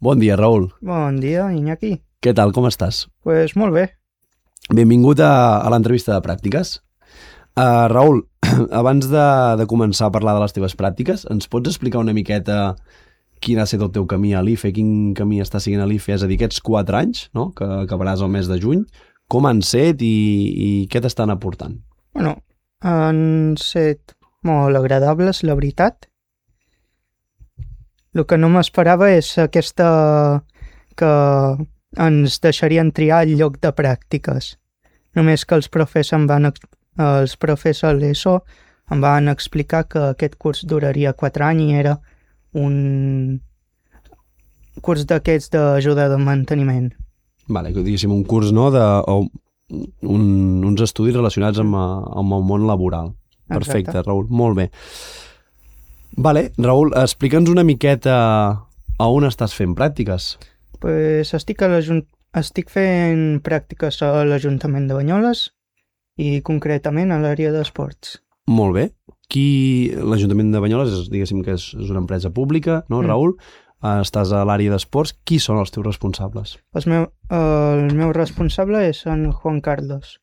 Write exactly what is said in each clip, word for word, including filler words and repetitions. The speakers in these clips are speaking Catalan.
Bon dia, Raül. Bon dia, Iñaki. Què tal, com estàs? Pues molt bé. Benvingut a, a l'entrevista de pràctiques. Uh, Raül, abans de, de començar a parlar de les teves pràctiques, ens pots explicar una miqueta quin ha estat el teu camí a l'I F E, quin camí està seguint a l'I F E, és a dir, aquests quatre anys, no?, que acabaràs el mes de juny, com han set i, i què t'estan aportant? Bueno, han set molt agradables, la veritat. El que no m'esperava és aquesta que ens deixarien triar el lloc de pràctiques. Només que els profes em van, els profes a l'ESO em van explicar que aquest curs duraria quatre anys i era un curs d'aquests d'ajuda de manteniment. Vale, que diguéssim un curs, no?, de, o un, uns estudis relacionats amb, amb el món laboral. Perfecte, Exacte. Raül, molt bé. Vale, Raül, explica'ns una miqueta a on estàs fent pràctiques. Pues estic, a l'Ajunt- estic fent pràctiques a l'Ajuntament de Banyoles i concretament a l'àrea d'esports. Molt bé. Qui, l'Ajuntament de Banyoles, és, diguéssim que és, és una empresa pública, no, Mm. Raül? Uh, estàs a l'àrea d'esports. Qui són els teus responsables? El meu, el meu responsable és en Juan Carlos.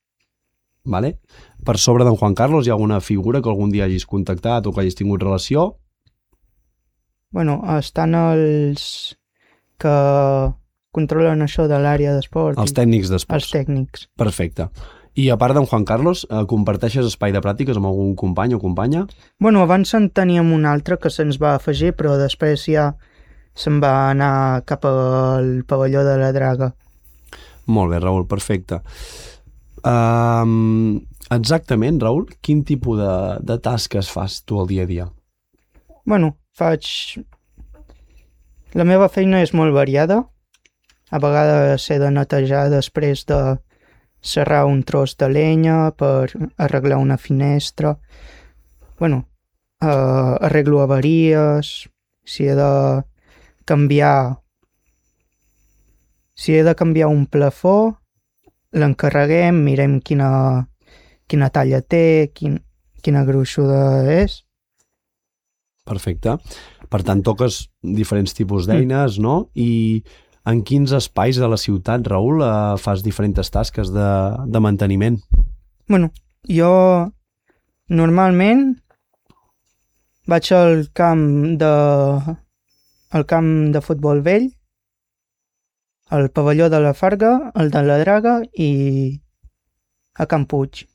Vale? Per sobre d'en Juan Carlos hi ha alguna figura que algun dia hagis contactat o que hagis tingut relació? Bueno, estan els que controlen això de l'àrea d'esport. Els i- tècnics Els d'esports. tècnics. Perfecte. I a part d'en Juan Carlos, eh, comparteixes espai de pràctiques amb algun company o companya? Bueno, abans en teníem un altre que se'ns va afegir, però després ja se'n va anar cap al pavelló de la Draga. Molt bé, Raül, perfecte. Um, exactament, Raül, quin tipus de, de tasques fas tu al dia a dia? Bueno, faig... La meva feina és molt variada. A vegades he de netejar després de serrar un tros de llenya per arreglar una finestra. Bueno, eh, arreglo avaries, si he de canviar... Si he de canviar un plafó, l'encarreguem, mirem quina, quina talla té, quin, quina gruixuda és. Perfecte. Per tant, toques diferents tipus d'eines, no? I en quins espais de la ciutat, Raül, eh, fas diferents tasques de, de manteniment? Bueno, jo normalment vaig al camp de al camp de futbol vell, al pavelló de la Farga, el de la Draga i a Can Puig.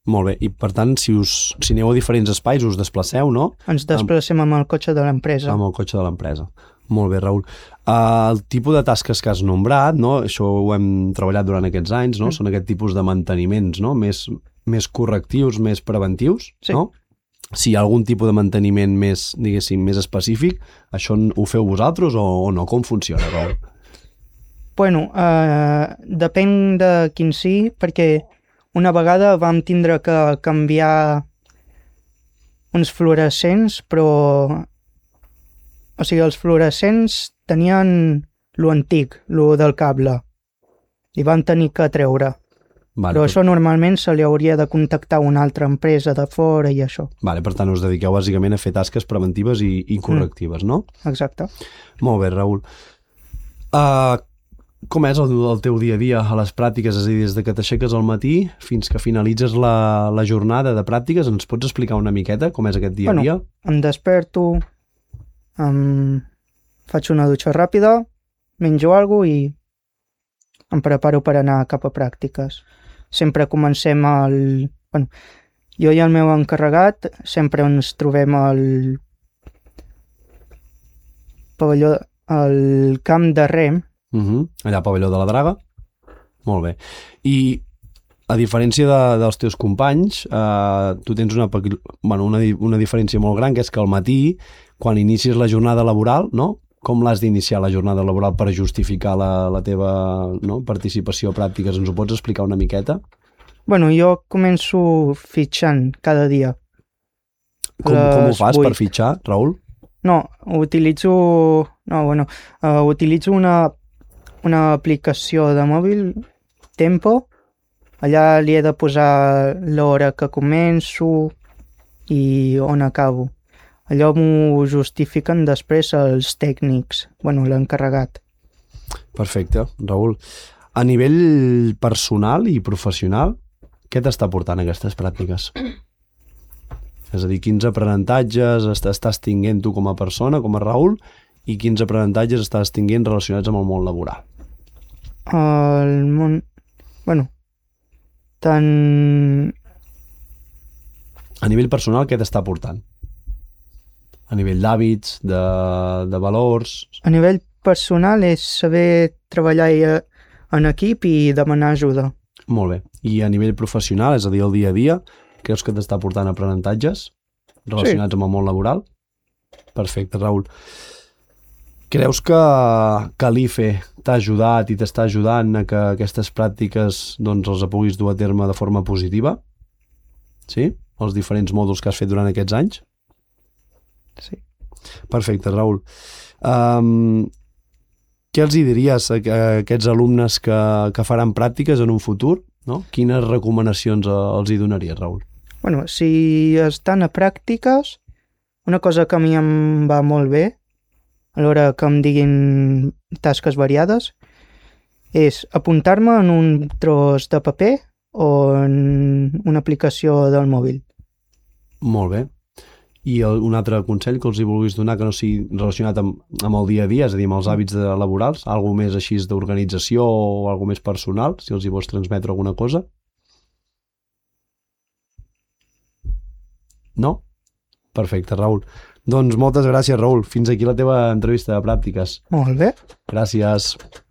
Molt bé. I, per tant, si, us, si aneu a diferents espais, us desplaceu, no? Ens desplacem amb el cotxe de l'empresa. Amb el cotxe de l'empresa. Molt bé, Raül. Uh, el tipus de tasques que has nombrat, no? Això ho hem treballat durant aquests anys, no? Mm. Són aquest tipus de manteniments, no? Més, més correctius, més preventius, Sí. no? Si hi ha algun tipus de manteniment més, diguéssim, més específic, això ho feu vosaltres o, o no? Com funciona, Raül? Bueno, eh, depèn de quin sí, perquè una vegada vam tindre que canviar uns fluorescents, però... O sigui, els fluorescents tenien lo antic, lo del cable, i van tenir que treure. Vale, Però per, això normalment se li hauria de contactar una altra empresa de fora i això. vale, per tant, us dediqueu bàsicament a fer tasques preventives i, i correctives, no? Exacte. Molt bé, Raül. Uh, com és el, el teu dia a dia a les pràctiques? És a dir, des de que t'aixeques al matí fins que finalitzes la, la jornada de pràctiques, ens pots explicar una miqueta com és aquest dia a Bueno, dia? Em desperto, em faig una dutxa ràpida, menjo alguna cosa i em preparo per anar cap a pràctiques. Sempre comencem al... Bueno, jo i el meu encarregat sempre ens trobem al pavelló, al camp de rem. Uh -huh. Allà al pavelló de la Draga? Molt bé. I a diferència de, dels teus companys, eh, tu tens una, pequi- bueno, una, di- una diferència molt gran, que és que al matí, quan inicis la jornada laboral, no? Com l'has d'iniciar la jornada laboral per justificar la, la teva, no?, participació a pràctiques? Ens ho pots explicar una miqueta? Bueno, jo començo fitxant cada dia. Com, com ho Les fas per vuit. fitxar, Raül? No, utilitzo... No, bueno, uh, utilitzo una, una aplicació de mòbil, Tempo. Allà li he de posar l'hora que començo i on acabo. Allò m'ho justifiquen després els tècnics, bueno, l'encarregat. Perfecte, Raül. A nivell personal i professional, què t'està portant aquestes pràctiques? És a dir, quins aprenentatges estàs tinguent tu com a persona, com a Raül, i quins aprenentatges estàs tinguent relacionats amb el món laboral? El món... Bueno, tant... A nivell personal, què t'està portant? A nivell d'hàbits, de, de valors... A nivell personal és saber treballar en equip i demanar ajuda. Molt bé. I a nivell professional, és a dir, el dia a dia, creus que t'està portant aprenentatges relacionats sí. amb el món laboral? Perfecte, Raül. Creus que, que l'I F E t'ha ajudat i t'està ajudant a que aquestes pràctiques doncs, els puguis dur a terme de forma positiva? Sí? Els diferents mòduls que has fet durant aquests anys? Sí. Perfecte, Raül. Um, què els hi diries a, a aquests alumnes que, que faran pràctiques en un futur? No? Quines recomanacions els hi donaries, Raül? Bueno, si estan a pràctiques, una cosa que a mi em va molt bé, a l'hora que em diguin tasques variades, és apuntar-me en un tros de paper o en una aplicació del mòbil. Molt bé. I el, un altre consell que els hi vulguis donar que no sigui relacionat amb, amb el dia a dia, és a dir, amb els hàbits de, laborals, alguna més així d'organització o alguna més personal, si els hi vols transmetre alguna cosa? No? Perfecte, Raül. Doncs moltes gràcies, Raül. Fins aquí la teva entrevista de pràctiques. Molt bé. Gràcies.